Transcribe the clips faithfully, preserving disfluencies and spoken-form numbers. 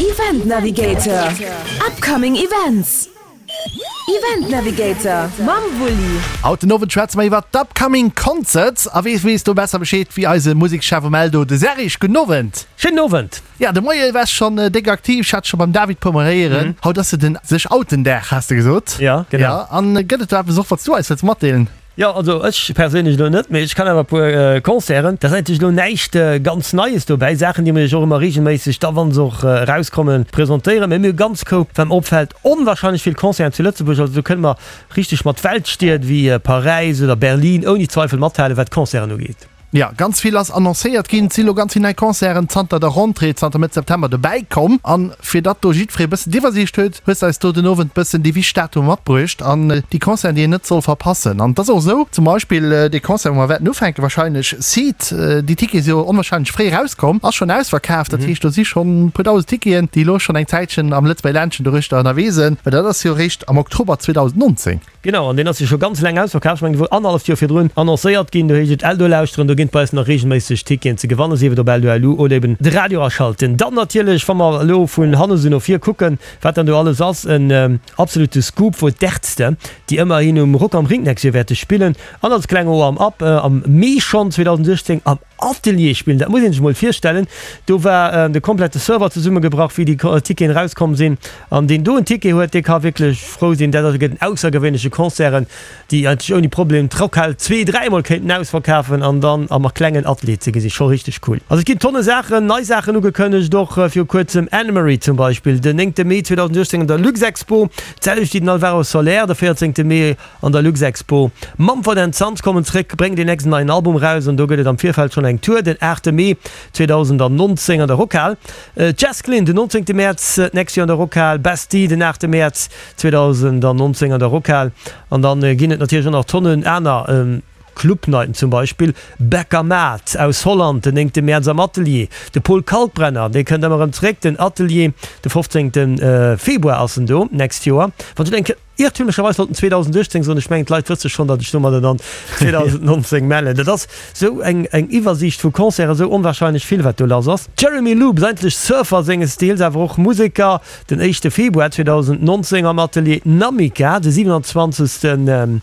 Event Navigator, Upcoming Events. Event Navigator mam Wulli. Haut den Owend schwätze mer iwwer d'Upcoming Concerts. A wee weess do besser Bescheed wéi eise Musekschef um Eldo, de Serge. Gudden Owend. Schéinen Owend. Ja, de Moie waars schonn déck aktiv. Ech hat scho beim David puer mol héieren. Haut ass jo den sech outen Dag, has de gesot. Ja, genau. Ja, an gëtt et do eppes och, wat s du eis wëlls matdeelen? Jo, also ech perséinlech elo net, mee ech kann awer e puer Concerten. Da ass eigentlech elo näischt ganz Neies dobäi, Saachen, déi mir iech och ëmmer reegelméisseg da, wa se och erauskommen, presentéieren. Mee mir hu ganz koup, wat mer opfält, onwahrscheinlech vill Concerten zu Lëtzebuerg. Also do kënne mer richteg mat Weltstied wéi Paräis oder Berlin ouni Zweifel mathalen, wat d'Concerten ugeet. Jo, ganz vill ass annoncéiert ginn. Et si lo ganz vill nei Concerten zanter der Rentrée, zanter Mëtt September dobäi komm. An fir datt do jiddweree bëssen d'Iwwersiicht huet, hues de eis do den Owend bëssen déi wichteg Datumer matbruecht an déi Concerten, déi een net soll verpassen. An et ass och esou, zum Beispill dee Concert, wou mer wäerten ufänken wahrscheinlech, Seed, déi Tickete si jo onwahrscheinlech fréi erauskomm, ass schonn ausverkaaft. Dat heescht, do si schonn e puer dausend Ticketen, déi elo schonn eng Zäitchen am Lëtzebuerger Ländchen doruechter ënnerwee sinn, well dat ass jo eréischt am Oktober zweedausendnonzéng Genau, an deen ass jo scho ganz laang ausverkaaft. Ech mengen, dee wor annerhalleft Joer virdrun annoncéiert ginn. Do heescht et Eldo lauschteren, do ginn et bei eis nach reegelméisseg Ticketen ze gewannen, sief et op Eldo.lu oder eben de Radio aschalten. Dann natierlech, wa mer elo vun hannen esou no vir kucken, wat dann do alles ass, en absolute Scoop wor d'Ärzte, déi ëmmerhin um Rock am Ring d'nächst Joer wäerte spillen an als klenge Warm-up am Mee schonn zweedausenduechtzéng am Atelier spillen. Dat muss een sech mol virstellen. Do war de komplette Server zesummegebrach, wéi déi Ticketen erauskomm sinn. An deen do en Ticket huet, dee ka wierklech frou sinn. Dat ass gëtt en aussergewéinleche Concerten, déi eigentlech ouni Problem d'Rockhal zwee, dräimol kéinten ausverkafen an dann am klengen Atelier ze gesinn. Scho richteg cool. Also et ginn tonne Saachen, nei Saachen ugekënnegt, och viru kuerzem Anne-Marie zum Beispill, den néngte Mee zweedausenduechtzéng an der Luxexpo, d'selwecht wéi den Alvaro Soler de véierzéngte Mee an der Luxexpo. Mumford and Sons kommen zréck, bréngen deen nächsten neien Album raus an do gëtt et am Virfeld schonn eng Tour den aachte Mee zweedausendnonzéng an der Rockhal. Jess Glynne den nonzéngte Mäerz d'nächst Joer an der Rockhal, Bastille den aachte Mäerz zweedausendnonzéng an der Rockhal an dann ginn et natierlech och nach Tonnen aner Clubnighten, zum Beispill Beckermaat aus Holland den néngte Mäerz am Atelier, de Paul Kalkbrenner dee kënnt ëmmer erëm zréck, den Atelier de fofzéngte Februar ass en do d'nächst Joer. Wann ech elo eng. Iertümlecherweis sollt en zweedausenduechtzéng soen, ech mengen d'Leit wësse schonn, datt ech domadder dann zweedausendnonzéng mellen. Dat ass esou eng eng Iwwersiicht vu Concerten, esou onwahrscheinlech vill wat do lass ass. Jeremy Loops, eigentlech Surfer senges Deels, awer och Museker, den éischte Februar zweedausendnonzéng am Atelier Namika, de siwenanzwanzegsten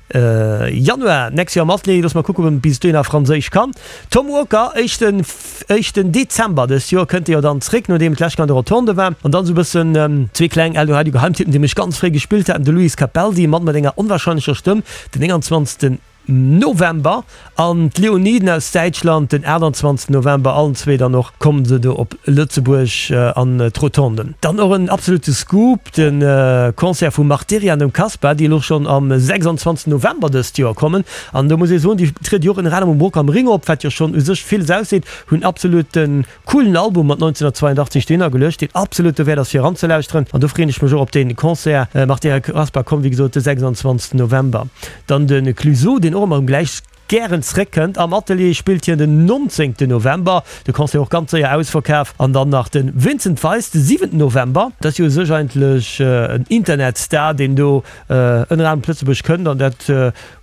Januar d'nächst Joer am Atelier, loosse mer kucken, ob en bis dohinner Franséisch kann. Tom Walker, éischten éischten Dezember dëst Joer kënnt e jo dann zréck, nodeem et d'lescht Kéier an der Rotonde war. An dann esou e bëssen zwee kleng Eldoradio Geheimtippen, déi mech ganz fréi gespillt haten, de Luis Capaldi, e Mann mat enger onwahrscheinlecher Stëmm, den nénganzwanzegsten November, an d'Leoniden aus Däitschland, den aachtanzwanzegsten November. Allen zwee dann och kommen se do op Lëtzebuerg an d'Rotonden. Dann och en absolute Scoop, De Concert vum Marteria an dem Caspa, déi elo schonn am sechsanzwanzegsten November dëst Joer kommen. An do muss ee soen, déi triede jo och ënner anerem um Rock am Ring op, wat jo schonn u sech villes ausseet. Hunn absolut e coolen Album mat neunzehnhundertzweiundachtzeg dohinner geluecht, deen absolut dowäert ass fir eranzelauschteren. An do freeën ech mech och op dee Concert. Marteria Caspa kommt wéi gesot de sechsanzwanzegsten November. Dann de Clueso, deen och ëmmer erëm gläich gären zréckkënnt. Am Atelier spillt hien den nonzéngten November, de Concert och ganz séier ausverkaf. An dann nach de Vincent Weiss de siwenten November. Dat ass jo u sech eigentlech en Internetstar, deen do ënner anerem op Lëtzebuerg kënnt an dat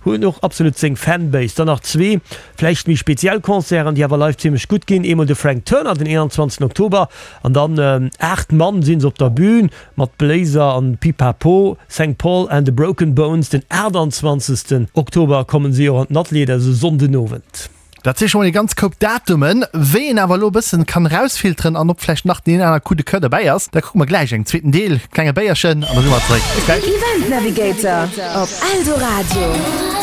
huet och absolut seng Fanbase. Dann nach zwee vläicht méi speziell Concerten, déi awer live zimmlech gutt ginn, eemol de Frank Turner den eenanzwanzegsten Oktober an dann aacht Mann si se op der Bün mat Bléiser an Pipapo. Saint Paul and the Broken Bones, den aachtanzwanzegsten Oktober kommen si och an den Atelier, dat ass e Sonndenowend. Dat si scho mol e ganz Koup Datumen. Wéi een awer elo e bëssen kann erausfilteren an ob vläicht nach deen aner Coup de Coeur derbäi ass, da kucke mer gläich engem zweeten Deel. Klenge Béierchen an da si mer zeréck. Bis gläich. Event Navigator op Eldoradio.